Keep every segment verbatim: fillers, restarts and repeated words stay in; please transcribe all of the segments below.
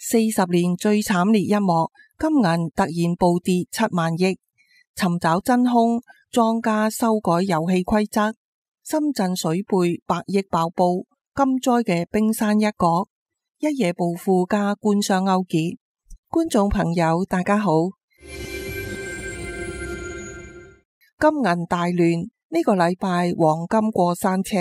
四十年最慘烈一幕，金銀突然暴跌七萬億，尋找真兇，莊家修改遊戲規則，深圳水貝百億爆煲，金災嘅冰山一角，一夜暴富加官商勾結。觀眾朋友大家好，金銀大亂，呢個禮拜黃金過山車，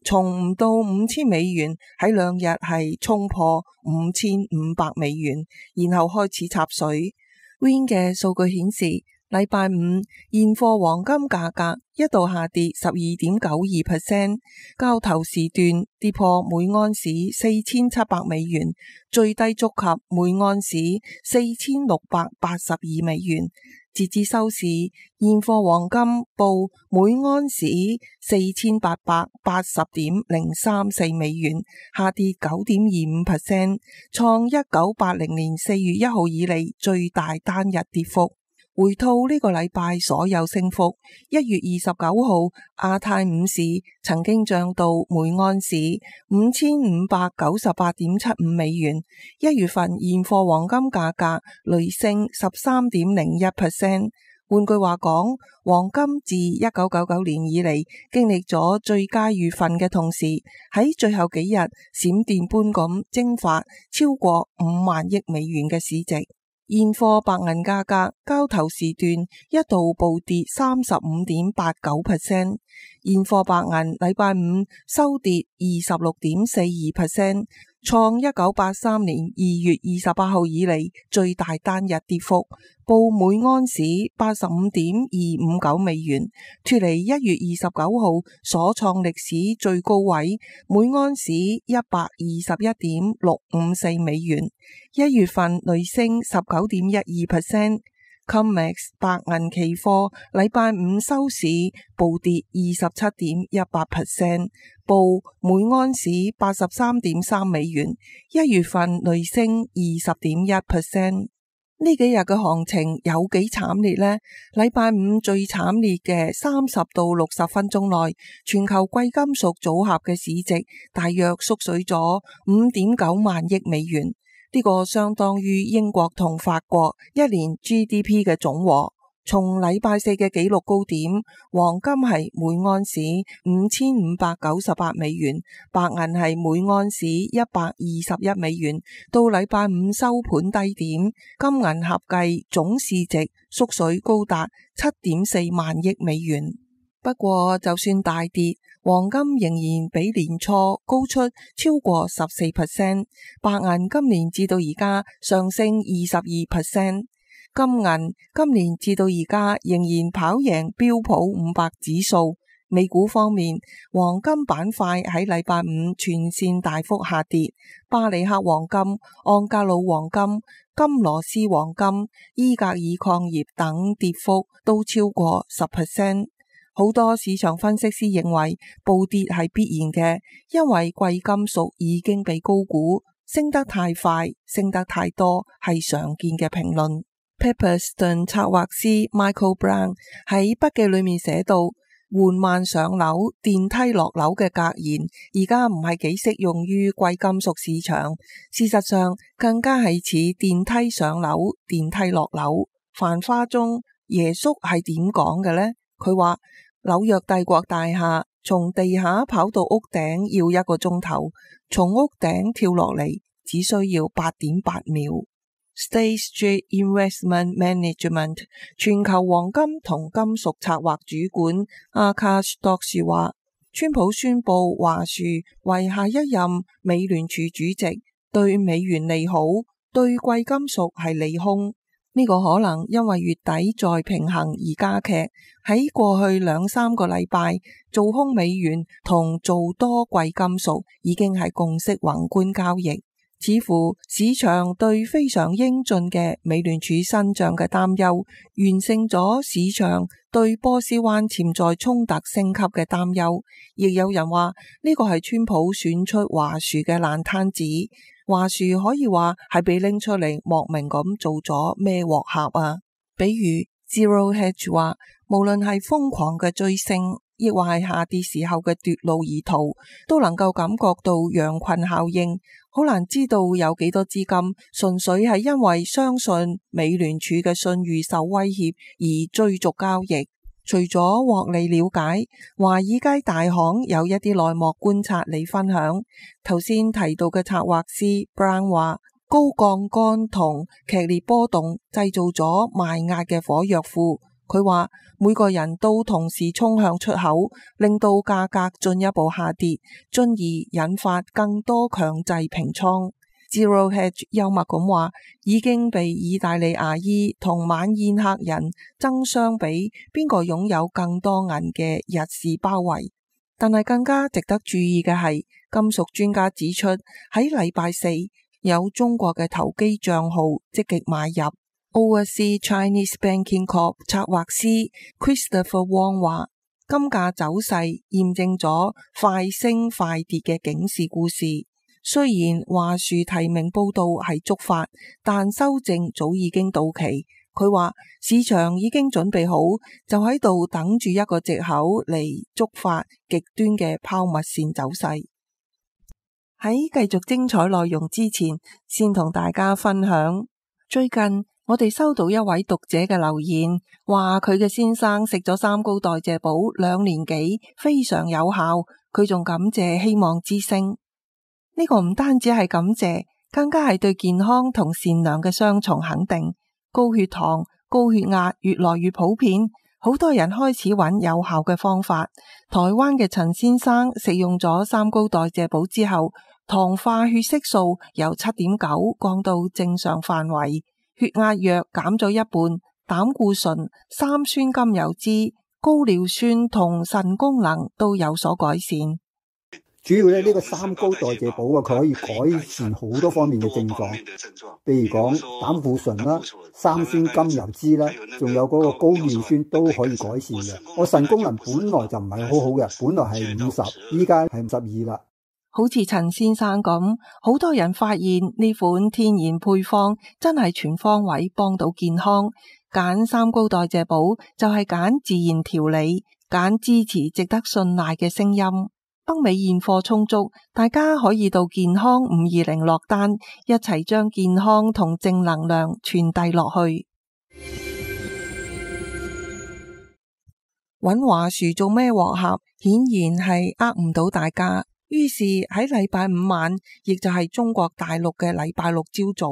從唔到五千美元，喺兩日係衝破五千五百美元，然後開始插水。Win 嘅數據顯示，禮拜五現貨黃金價格一度下跌十二點九二 percent， 交投時段跌破每安士四千七百美元，最低觸及每安士四千六百八十二美元。截至收市，現貨黃金報每安士四千八百八十點零三四美元，下跌九點二五 percent， 創一九八零年四月一號以嚟最大單日跌幅。回吐呢個禮拜所有升幅，一月二十九號亞太五市曾經漲到每安士五千五百九十八點七五美元，一月份現貨黃金價格累升十三點零一 percent。換句話講，黃金自一九九九年以嚟經歷咗最佳月份嘅同時，喺最後幾日閃電般咁蒸發超過五萬億美元嘅市值。現貨白銀價格交投時段一度暴跌三十五點八九 percent， 現貨白銀禮拜五收跌二十六點四二 percent， 創一九八三年二月二十八號以嚟最大單日跌幅，報每安士八十五點二五九美元，脫離一月二十九號所創歷史最高位每安士一百二十一點六五四美元，一月份累升十九點一二 percent。COMEX 白銀期貨禮拜五收市暴跌二十七點一八 percent， 報每安士八十三點三美元，一月份累升二十點一 percent。呢幾日嘅行情有幾慘烈呢？禮拜五最慘烈嘅三十到六十分鐘內，全球貴金屬組合嘅市值大約縮水咗五點九萬億美元，呢個相當於英國同法國一年 G D P 嘅總和。從禮拜四嘅紀錄高點，黃金係每安士五千五百九十八美元，白銀係每安士一百二十一美元，到禮拜五收盤低點，金銀合計總市值縮水高達七點四萬億美元。不過就算大跌，黃金仍然比年初高出超過十四 percent， 白銀今年至到而家上升二十二 percent。金銀今年至到而家仍然跑贏標普五百指數。美股方面，黃金板塊喺禮拜五全線大幅下跌，巴里克黃金、安格魯黃金、金羅斯黃金、伊格爾礦業等跌幅都超過十 percent。好多市場分析師認為暴跌係必然嘅，因為貴金屬已經被高估，升得太快、升得太多係常見嘅評論。Pepperstone 策劃師 Michael Brown 喺筆記裏面寫到，緩慢上樓、電梯落樓嘅格言而家唔係幾適用於貴金屬市場，事實上更加係似電梯上樓、電梯落樓。繁花中耶穌係點講嘅呢？佢話紐約帝國大廈從地下跑到屋頂要一個鐘頭，從屋頂跳落嚟只需要八點八秒。State Street Investment Management 全球黃金同金屬策劃主管阿卡什多士話，川普宣布華樹為下一任美聯儲主席，對美元利好，對貴金屬係利空。呢、這個可能因為月底再平衡而加劇。喺過去兩三個禮拜，做空美元同做多貴金屬已經係共識宏觀交易。似乎市場對非常英俊嘅美聯儲新賬嘅擔憂，完勝咗市場對波斯灣潛在衝突升級嘅擔憂。亦有人話呢個係川普選出華樹嘅爛攤子，華樹可以話係被拎出嚟莫名咁做咗咩鑊盒啊？比如 Zero Hedge 話，無論係瘋狂嘅追升亦或係下跌時候嘅奪路而逃，都能夠感覺到羊群效應。好難知道有幾多資金純粹係因為相信美聯儲嘅信譽受威脅而追逐交易。除咗獲利了解，華爾街大行有一啲內幕觀察嚟分享。頭先提到嘅策劃師 Brown 話，高槓桿同劇烈波動製造咗賣壓嘅火藥庫。佢話每個人都同時衝向出口，令到價格進一步下跌，進而引發更多強制平倉。Zero Hedge 幽默咁話，已經被意大利牙醫同晚宴客人爭相比邊個擁有更多銀嘅日市包圍。但係更加值得注意嘅係，金屬專家指出喺禮拜四有中國嘅投機賬號積極買入。Overseas Chinese Banking Corp 策劃師 Christopher Wong 話，金價走勢驗證咗快升快跌嘅警示故事。雖然華樹提名報道係觸發，但修正早已經到期。佢話市場已經準備好，就喺度等住一個藉口嚟觸發極端嘅拋物線走勢。喺繼續精彩內容之前，先同大家分享，最近我哋收到一位讀者嘅留言，話佢嘅先生食咗三高代謝寶兩年幾，非常有效。佢仲感謝希望之聲。呢個唔單止係感謝，更加係對健康同善良嘅雙重肯定。高血糖、高血壓越來越普遍，好多人開始揾有效嘅方法。台灣嘅陳先生食用咗三高代謝寶之後，糖化血色素由七點九降到正常範圍，血壓藥減咗一半，膽固醇、三酸甘油酯、高尿酸同腎功能都有所改善。主要咧呢個三高代謝寶啊，佢可以改善好多方面嘅症狀，譬如講膽固醇啦、三酸甘油酯啦，仲有嗰個高尿酸都可以改善嘅。我腎功能本來就唔係好好嘅，本來係五十，依家係五十二啦。好似陳先生咁，好多人發現呢款天然配方真係全方位幫到健康。揀三高代謝寶就係揀自然調理，揀支持值得信賴嘅聲音。北美現貨充足，大家可以到健康五二零落單，一齊將健康同正能量傳遞落去。揾華樹做咩鑊盒，顯然係呃唔到大家。於是喺禮拜五晚，亦就係中國大陸嘅禮拜六朝早，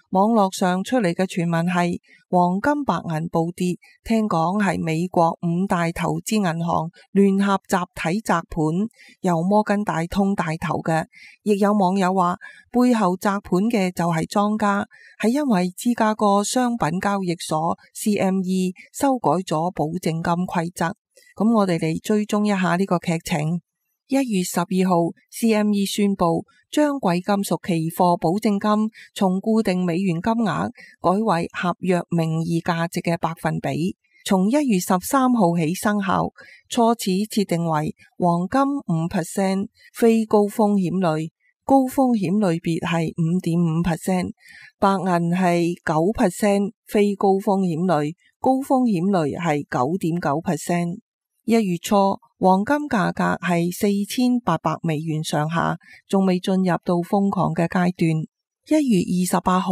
網絡上出嚟嘅傳聞係黃金白銀暴跌，聽講係美國五大投資銀行聯合集體砸盤，由摩根大通帶頭嘅。亦有網友話背後砸盤嘅就係莊家，係因為芝加哥商品交易所 C M E 修改咗保證金規則。咁我哋嚟追蹤一下呢個劇情。一月十二號 C M E 宣布將貴金屬期貨保證金從固定美元金額改為合約名義價值嘅百分比，從一月十三號起生效。初始設定為黃金五 percent 非高風險類，高風險類別係五點五 percent， 白銀係九 percent 非高風險類，高風險類係九點九 percent。一月初黃金價格係四千八百美元上下，仲未進入到瘋狂嘅階段。一月二十八號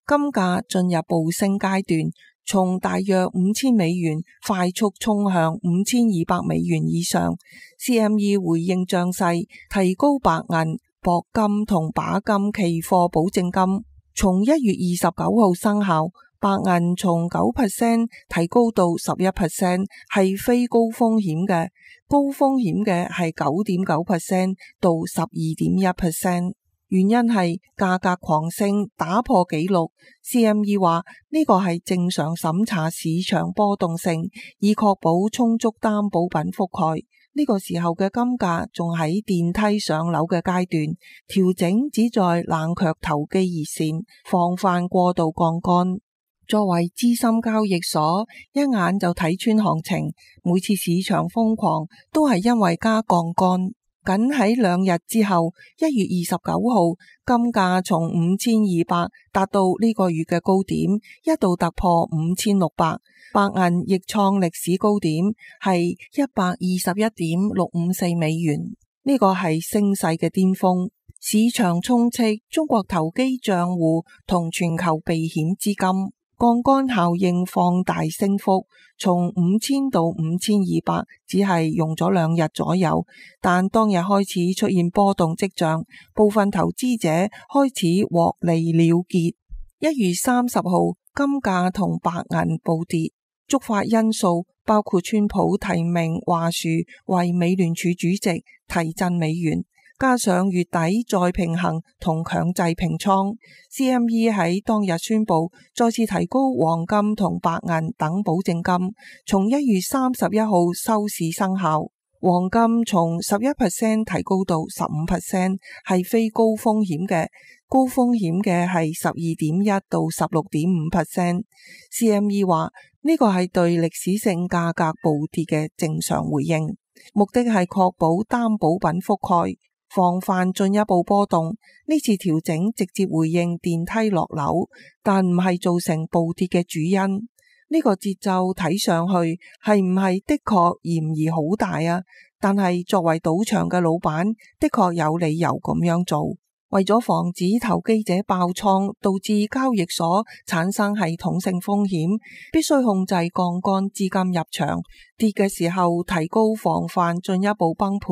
金價進入暴升階段，從大約五千美元快速衝向五千二百美元以上。C M E 回應漲勢，提高白銀、鉑金同把金期貨保證金，從一月二十九號生效。白銀從九 percent 提高到十一 percent， 係非高風險嘅，高風險嘅係九點九 percent 到十二點一 percent。原因係價格狂升，打破紀錄。C M E 話呢個係正常審查市場波動性，以確保充足擔保品覆蓋。呢個時候嘅金價仲喺電梯上樓嘅階段，調整只在冷卻投機熱線，防範過度槓桿。作為資深交易所，一眼就睇穿行情。每次市場瘋狂，都係因為加槓桿。僅喺兩日之後，一月二十九號，金價從五千二百達到呢個月嘅高點，一度突破五千六百，白銀亦創歷史高點，係一百二十一點六五四美元，呢個係升勢嘅巔峰。市場充斥中國投機賬戶同全球避險資金，槓桿效應放大升幅，從五千到五千二百只係用咗兩日左右，但當日開始出現波動跡象，部分投資者開始獲利了結。一月三十號，金價同白銀暴跌，觸發因素包括川普提名華樹為美聯儲主席，提振美元。加上月底再平衡同強制平倉 ，C M E 喺當日宣布再次提高黃金同白銀等保證金，從一月三十一號收市生效。黃金從十一 percent 提高到十五 percent， 係非高風險嘅，高風險嘅係十二點一到十六點五 percent。C M E 話呢個係對歷史性價格暴跌嘅正常回應，目的係確保擔保品覆蓋，防範進一步波動。呢次調整直接回應電梯落樓，但唔係造成暴跌嘅主因。呢個節奏睇上去係唔係的確嫌疑好大啊？但係作為賭場嘅老闆，的確有理由咁樣做。為咗防止投機者爆倉，導致交易所產生系統性風險，必須控制槓桿資金入場。跌嘅時候提高防範進一步崩盤。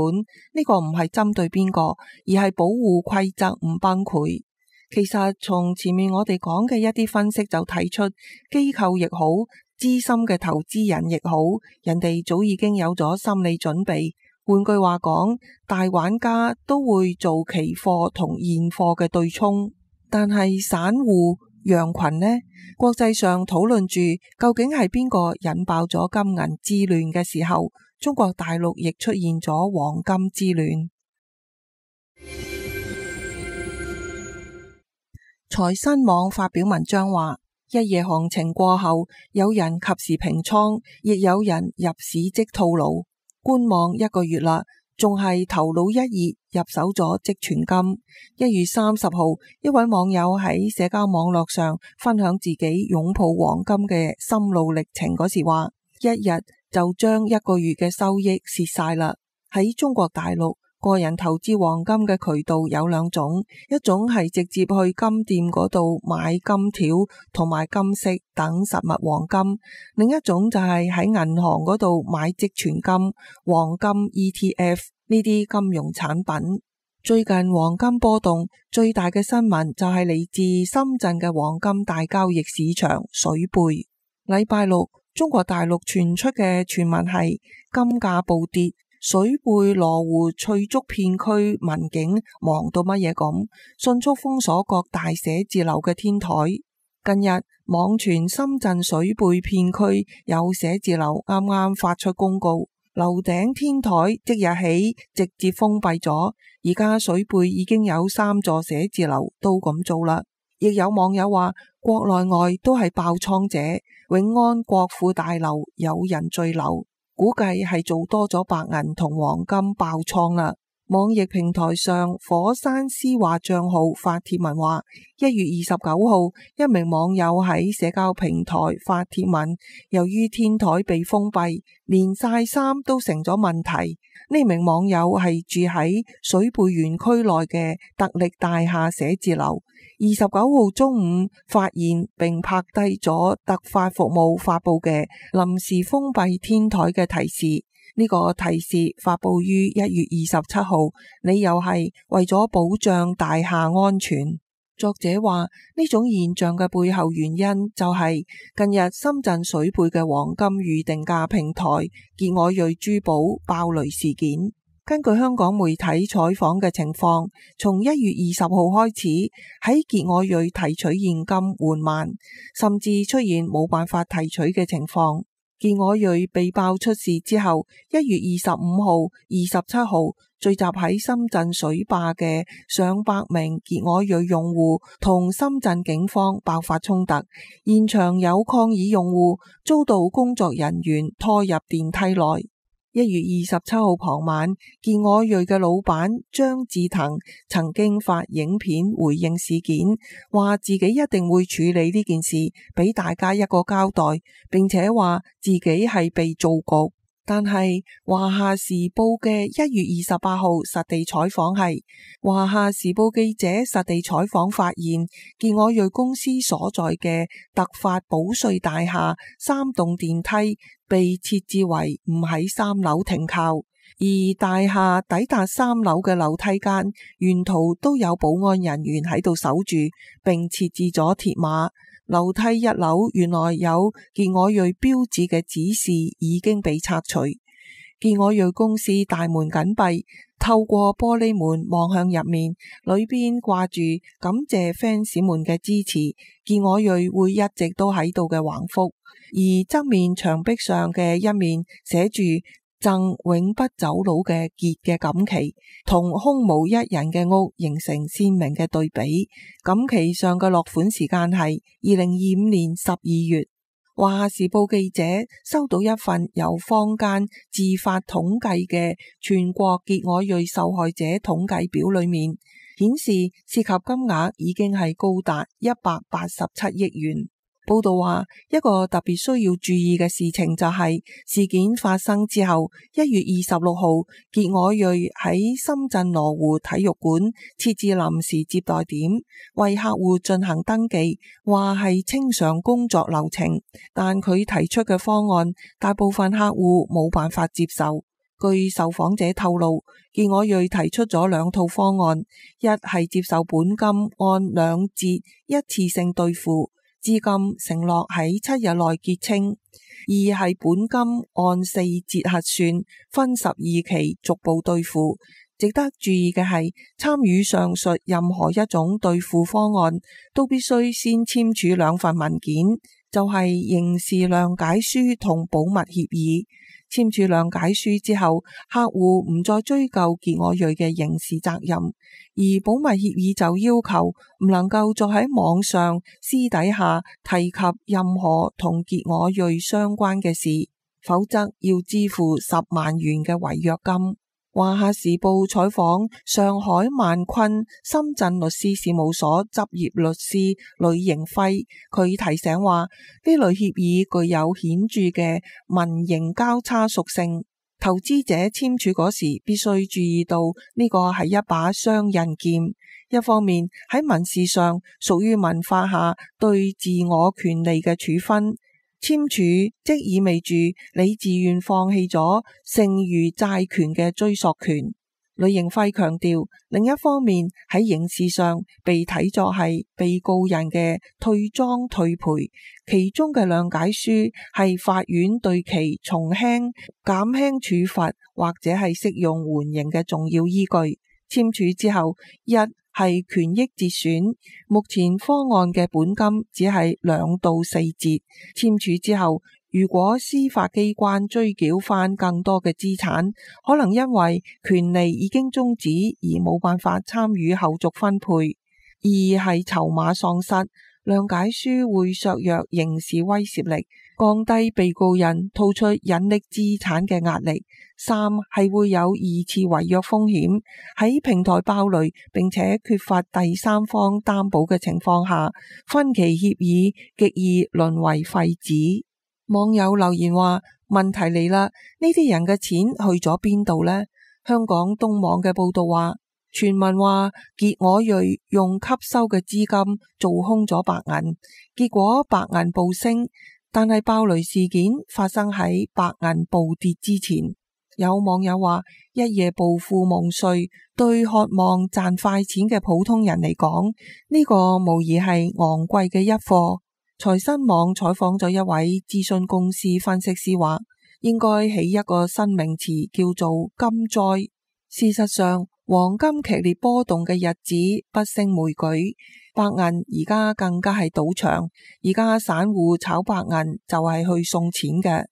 呢個唔係針對邊個，而係保護規則唔崩潰。其實從前面我哋講嘅一啲分析就睇出，機構亦好，資深嘅投資人亦好，人哋早已經有咗心理準備。換句話講，大玩家都會做期貨同現貨嘅對沖，但係散戶羊群呢？國際上討論住究竟係邊個引爆咗金銀之亂嘅時候，中國大陸亦出現咗黃金之亂。財新網發表文章話，一夜行情過後，有人及時平倉，亦有人入市即套牢。觀望一個月啦，仲係頭腦一熱入手咗即存金。一月三十號，一位網友喺社交網絡上分享自己擁抱黃金嘅心路歷程嗰時話，一日就將一個月嘅收益蝕晒啦。喺中國大陸，個人投資黃金嘅渠道有兩種，一種係直接去金店嗰度買金條同埋金飾等實物黃金，另一種就係喺銀行嗰度買即存金、黃金 E T F 呢啲金融產品。最近黃金波動最大嘅新聞就係嚟自深圳嘅黃金大交易市場水貝。禮拜六，中國大陸傳出嘅傳聞係金價暴跌。水貝羅湖翠竹片區民警忙到乜嘢咁，迅速封鎖各大寫字樓嘅天台。近日網傳深圳水貝片區有寫字樓啱啱發出公告，樓頂天台即日起直接封閉咗。而家水貝已經有三座寫字樓都咁做啦。亦有網友話，國內外都係爆倉者，永安國富大樓有人墜樓。估計係做多咗白銀同黃金爆倉啦。網易平台上火山絲話賬號發帖文話，一月二十九號，一名網友喺社交平台發帖文，由於天台被封閉，連曬衫都成咗問題。呢名網友係住喺水貝園區內嘅特力大廈寫字樓。二十九號中午發現並拍低咗特發服務發佈嘅臨時封閉天台嘅提示。呢個提示發佈於一月二十七號，理由係為咗保障大廈安全。作者話，呢種現象嘅背後原因就係近日深圳水貝嘅黃金預定價平台傑我瑞珠寶爆雷事件。根據香港媒體採訪嘅情況，從一月二十號開始，喺傑我瑞提取現金緩慢，甚至出現冇辦法提取嘅情況。傑我瑞被爆出事之後，一月二十五號、二十七號聚集喺深圳水壩嘅上百名傑我瑞用戶同深圳警方爆發衝突，現場有抗議用戶遭到工作人員拖入電梯內。一月二十七號傍晚，健我瑞嘅老闆張志騰曾經發影片回應事件，話自己一定會處理呢件事，俾大家一個交代，並且話自己係被造局。但係華夏時報嘅一月二十八號實地採訪係，華夏時報記者實地採訪發現，健我瑞公司所在嘅特發保瑞大廈三棟電梯被設置為唔喺三樓停靠，而大廈抵達三樓嘅樓梯間沿途都有保安人員喺度守住，並設置咗鐵馬。樓梯一樓原來有健我瑞標誌嘅指示已經被拆除。健我瑞公司大門緊閉，透過玻璃門望向入面，裏邊掛住感謝 fans 們嘅支持，健我瑞會一直都喺度嘅橫幅，而側面牆壁上嘅一面寫住贈永不走佬嘅傑嘅錦旗，同空無一人嘅屋形成鮮明嘅對比。錦旗上嘅落款時間係二零二五年十二月。華夏時報記者收到一份由坊間自發統計嘅全國健我瑞受害者統計表，裏面顯示涉及金額已經係高達一百八十七億元。報道話，一個特別需要注意嘅事情就係事件發生之後，一月二十六號，健我瑞喺深圳羅湖體育館設置臨時接待點，為客戶進行登記，話係清償工作流程。但佢提出嘅方案，大部分客戶冇辦法接受。據受訪者透露，健我瑞提出咗兩套方案，一係接受本金按兩折一次性兌付，資金承諾喺七日內結清；二係本金按四折核算，分十二期逐步兌付。值得注意嘅係，參與上述任何一種兌付方案，都必須先簽署兩份文件，就係刑事諒解書同保密協議。簽署諒解書之後，客戶唔再追究健我瑞嘅刑事責任，而保密協議就要求唔能夠再喺網上私底下提及任何同健我瑞相關嘅事，否則要支付十萬元嘅違約金。華夏時報採訪上海萬坤深圳律師事務所執業律師呂迎輝，佢提醒話，呢類協議具有顯著嘅民刑交叉屬性，投資者簽署嗰時必須注意到呢個係一把雙刃劍，一方面喺民事上屬於民法下對自我權利嘅處分，簽署即意味住你自願放棄咗剩餘債權嘅追索權。呂迎輝強調，另一方面喺刑事上被睇作係被告人嘅退贓退賠，其中嘅諒解書係法院對其從輕減輕處罰或者係適用緩刑嘅重要依據。簽署之後，一係權益折損，目前方案嘅本金只係兩到四折。簽署之後，如果司法機關追繳翻更多嘅資產，可能因為權利已經終止而冇辦法參與後續分配。二係籌碼喪失，諒解書會削弱刑事威懾力，降低被告人吐出隱匿資產嘅壓力。三係會有二次違約風險，喺平台爆雷並且缺乏第三方擔保嘅情況下，分期協議極易淪為廢紙。網友留言話：問題嚟啦，呢啲人嘅錢去咗邊度呢？香港東網嘅報道話，傳聞話健我瑞用吸收嘅資金做空咗白銀，結果白銀暴升，但係爆雷事件發生喺白銀暴跌之前。有網友話，一夜暴富夢碎，對渴望賺快錢嘅普通人嚟講，呢個無疑係昂貴嘅一課。財新網採訪咗一位諮詢公司分析師話，應該起一個新名詞叫做金災。事實上，黃金劇烈波動嘅日子不勝枚舉，白銀而家更加係賭場，而家散戶炒白銀就係去送錢嘅。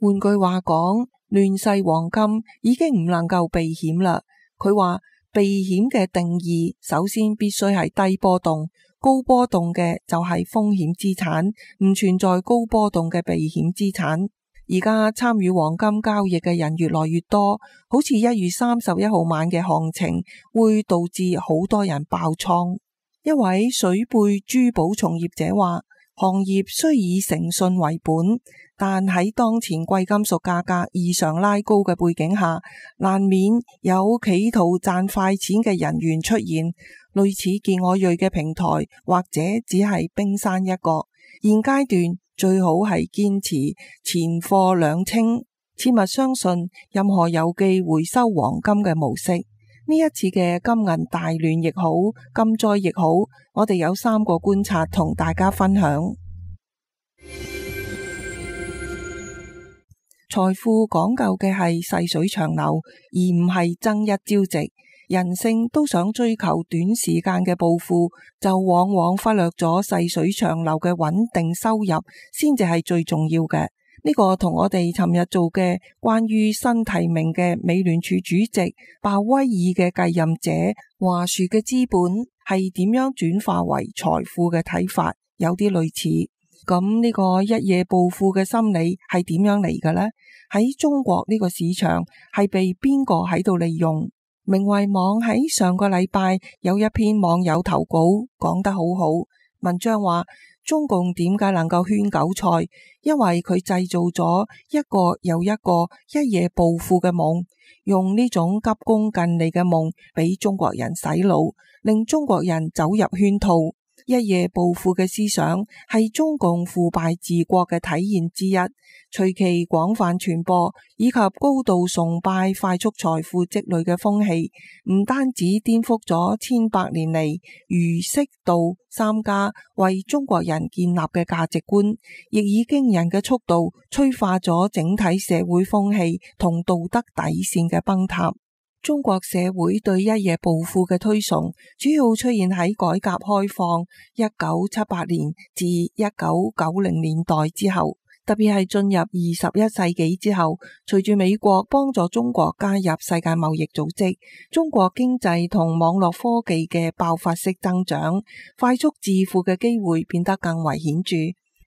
換句話講，亂世黃金已經唔能夠避險啦。佢話避險嘅定義首先必須係低波動，高波動嘅就係風險資產，唔存在高波動嘅避險資產。而家參與黃金交易嘅人越來越多，好似一月三十一號晚嘅行情會導致好多人爆倉。一位水貝珠寶從業者話，行業雖以誠信為本，但喺當前貴金屬價格異常拉高嘅背景下，難免有企圖賺快錢嘅人員出現。類似健我瑞嘅平台，或者只係冰山一角。現階段最好係堅持前貨兩清，切勿相信任何郵寄回收黃金嘅模式。呢一次嘅金銀大亂亦好，金災亦好，我哋有三個觀察同大家分享。財富講究嘅係細水長流，而唔係爭一朝夕。人性都想追求短時間嘅暴富，就往往忽略咗細水長流嘅穩定收入，先至係最重要嘅。呢個同我哋尋日做嘅關於新提名嘅美聯儲主席鮑威爾嘅繼任者華碩嘅資本係點樣轉化為財富嘅睇法有啲類似。咁呢個一夜暴富嘅心理係點樣嚟嘅呢？喺中國呢個市場係被邊個喺度利用？明慧網喺上個禮拜有一篇網友投稿講得好好，文章話中共點解能夠圈韭菜？因為佢製造咗一個又一個一夜暴富嘅夢，用呢種急功近利嘅夢俾中國人洗腦，令中國人走入圈套。一夜暴富嘅思想係中共腐敗治國嘅體現之一，隨其廣泛傳播以及高度崇拜快速財富積累嘅風氣，唔單止顛覆咗千百年嚟儒釋道三家為中國人建立嘅價值觀，亦以驚人嘅速度催化咗整體社會風氣同道德底線嘅崩塌。中國社會對一夜暴富嘅推崇，主要出現喺改革開放一九七八年至一九九零年代之後，特別係進入二十一世紀之後，隨住美國幫助中國加入世界貿易組織，中國經濟同網絡科技嘅爆發式增長，快速致富嘅機會變得更為顯著，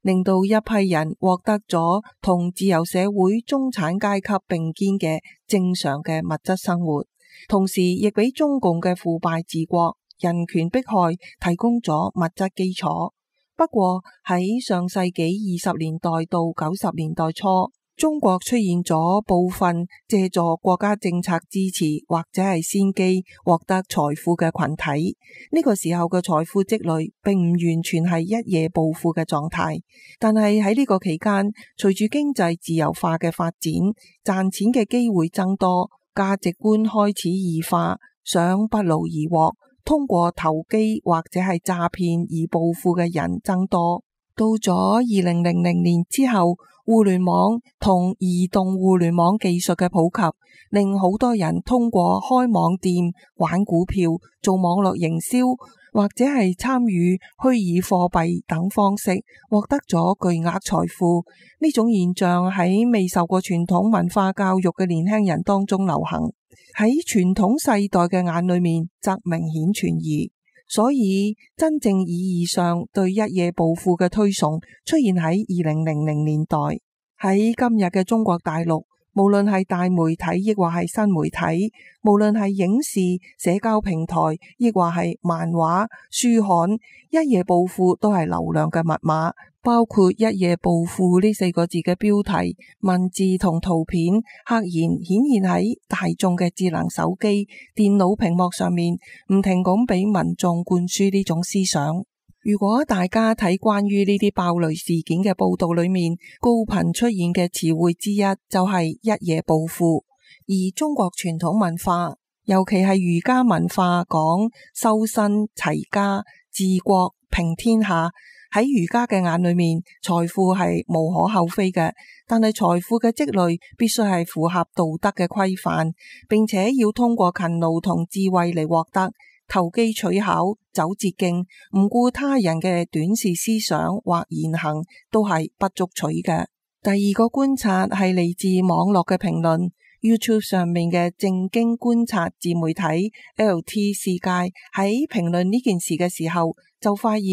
令到一批人獲得咗同自由社會中產階級並肩嘅正常嘅物質生活，同時亦俾中共嘅腐敗治國、人權迫害提供咗物質基礎。不過喺上世紀二十年代到九十年代初，中國出現咗部分借助國家政策支持或者係先機獲得財富嘅群體。呢個時候嘅財富積累並唔完全係一夜暴富嘅狀態，但係喺呢個期間，隨住經濟自由化嘅發展，賺錢嘅機會增多，價值觀開始異化，想不勞而獲，通過投機或者係詐騙而暴富嘅人增多。到咗二零零零年之後，互聯網同移動互聯網技術嘅普及，令好多人通過開網店、玩股票、做網絡營銷或者係參與虛擬貨幣等方式，獲得咗巨額財富。呢種現象喺未受過傳統文化教育嘅年輕人當中流行，喺傳統世代嘅眼裏面則明顯存疑。所以真正意義上對一夜暴富嘅推崇出現喺二零零零年代。喺今日嘅中國大陸，無論係大媒體亦或係新媒體，無論係影視、社交平台亦或係漫畫、書刊，一夜暴富都係流量嘅密碼。包括一夜暴富呢四個字嘅標題、文字同圖片，赫然顯現喺大眾嘅智能手機、電腦屏幕上面，唔停咁俾民眾灌輸呢種思想。如果大家睇關於呢啲爆雷事件嘅報道裏面，高頻出現嘅詞彙之一就係一夜暴富。而中國傳統文化，尤其係儒家文化，講修身齊家、治國平天下。喺儒家嘅眼裏面，財富係無可厚非嘅，但係財富嘅積累必須係符合道德嘅規範，並且要通過勤勞同智慧嚟獲得。投機取巧、走捷徑、唔顧他人嘅短視思想或言行，都係不足取嘅。第二個觀察係嚟自網絡嘅評論。YouTube 上面嘅正經觀察自媒體 L T 世界喺評論呢件事嘅時候，就發現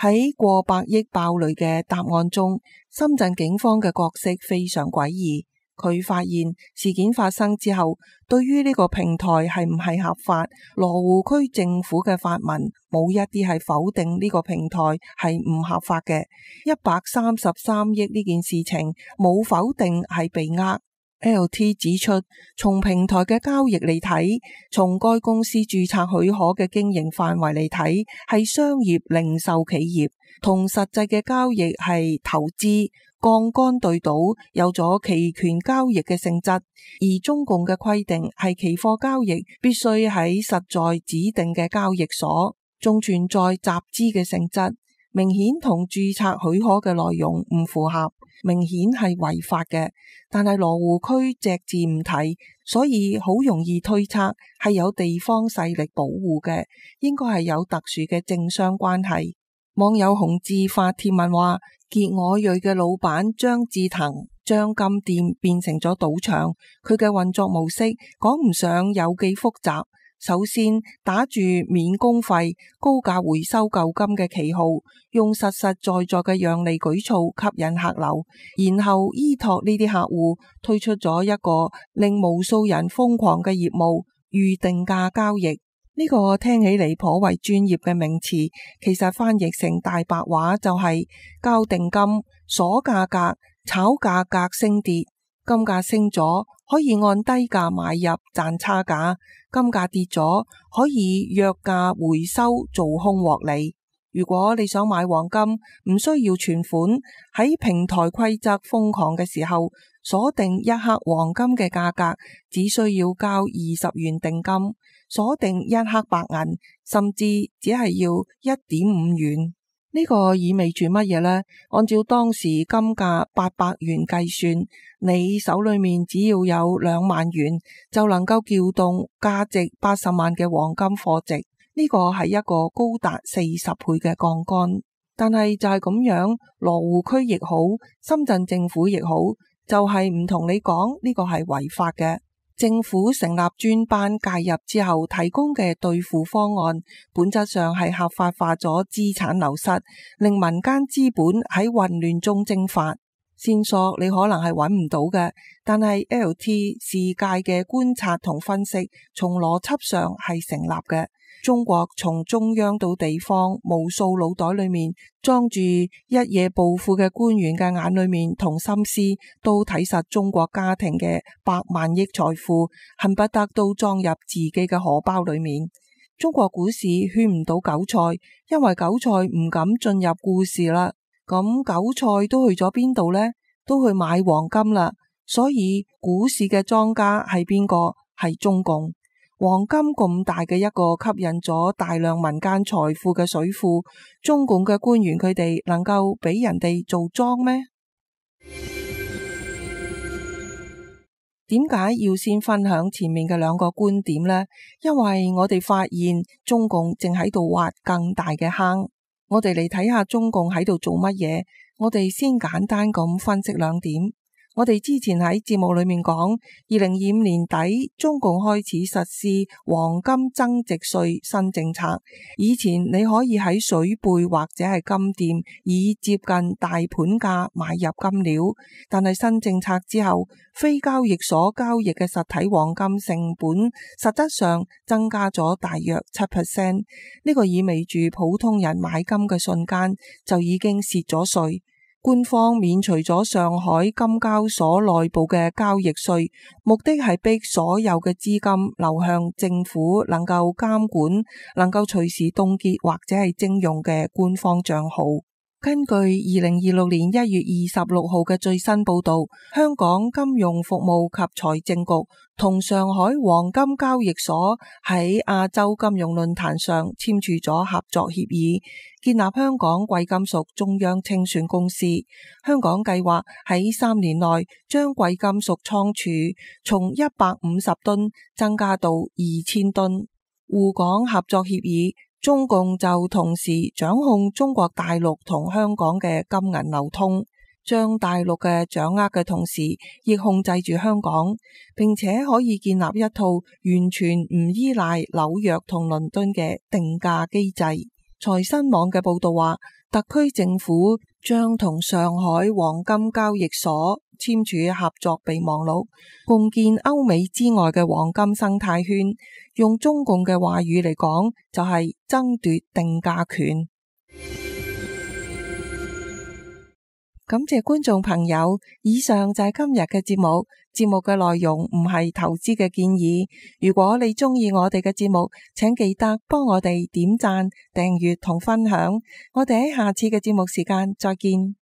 喺過百億爆雷嘅答案中，深圳警方嘅角色非常詭異。佢發現事件發生之後，對於呢個平台係唔係合法，羅湖區政府嘅發文冇一啲係否定呢個平台係唔合法嘅。一百三十三億呢件事情冇否定係被呃。L T 指出，從平台嘅交易嚟睇，從該公司註冊許可嘅經營範圍嚟睇，係商業零售企業，同實際嘅交易係投資槓桿對賭，有咗期權交易嘅性質。而中共嘅規定係期貨交易必須喺實在指定嘅交易所，仲存在集資嘅性質，明顯同註冊許可嘅內容唔符合，明顯係違法嘅。但係羅湖區隻字唔提，所以好容易推測係有地方勢力保護嘅，應該係有特殊嘅政商關係。網友洪志發帖文話，傑我瑞嘅老闆張志騰將金店變成咗賭場，佢嘅運作模式講唔上有幾複雜。首先打住免工費、高價回收舊金嘅旗號，用實實在在嘅讓利舉措吸引客流，然後依託呢啲客戶推出咗一個令無數人瘋狂嘅業務——預定價交易。呢個聽起嚟頗為專業嘅名詞，其實翻譯成大白話就係交定金、鎖價格、炒價格升跌。金價升咗可以按低價買入賺差價，金價跌咗可以約價回收做空獲利。如果你想買黃金，唔需要存款，喺平台規則瘋狂嘅時候，鎖定一克黃金嘅價格只需要交二十元定金，鎖定一克白銀甚至只係要一點五元。呢個意味住乜嘢呢？按照當時金價八百元計算，你手裏面只要有兩萬元，就能夠撬動價值八十萬嘅黃金貨值。呢個係一個高達四十倍嘅槓桿。但係就係咁樣，羅湖區亦好，深圳政府亦好，就係唔同你講呢個係違法嘅。政府成立專班介入之後提供嘅兌付方案，本質上係合法化咗資產流失，令民間資本喺混亂中蒸發。線索你可能係揾唔到嘅，但係 L T 世界嘅觀察同分析，從邏輯上係成立嘅。中國從中央到地方，無數腦袋裏面裝住一夜暴富嘅官員嘅眼裏面同心思，都睇實中國家庭嘅百萬億財富，恨不得都裝入自己嘅荷包裏面。中國股市圈唔到韭菜，因為韭菜唔敢進入股市啦。咁韭菜都去咗邊度呢？都去買黃金啦。所以股市嘅莊家係邊個？係中共。黃金咁大嘅一個吸引咗大量民間財富嘅水庫，中共嘅官員佢哋能夠俾人哋做莊咩？點解要先分享前面嘅兩個觀點呢？因為我哋發現中共正喺度挖更大嘅坑。我哋嚟睇下中共喺度做乜嘢。我哋先簡單咁分析兩點。我哋之前喺節目裏面講，二零二五年底中共開始實施黃金增值稅新政策。以前你可以喺水貝或者係金店以接近大盤價買入金料，但係新政策之後，非交易所交易嘅實體黃金成本實質上增加咗大約七 percent。呢個意味住普通人買金嘅瞬間就已經蝕咗稅。官方免除咗上海金交所內部嘅交易稅，目的係逼所有嘅資金流向政府能夠監管、能夠隨時凍結或者係徵用嘅官方賬號。根據二零二六年一月二十六號嘅最新報道，香港金融服務及財政局同上海黃金交易所喺亞洲金融論壇上簽署咗合作協議，建立香港貴金屬中央清算公司。香港計劃喺三年內將貴金屬倉儲從一百五十噸增加到二千噸。滬港合作協議，中共就同時掌控中國大陸同香港嘅金銀流通，將大陸嘅掌握嘅同時，亦控制住香港，並且可以建立一套完全唔依賴紐約同倫敦嘅定價機制。財新網嘅報道話，特區政府將同上海黃金交易所簽署合作備忘錄，共建歐美之外嘅黃金生態圈。用中共嘅話語嚟講，就係爭奪定價權。感謝觀眾朋友，以上就係今日嘅節目。節目嘅內容唔係投資嘅建議。如果你鍾意我哋嘅節目，請記得幫我哋點讚、訂閱同分享。我哋喺下次嘅節目時間再見。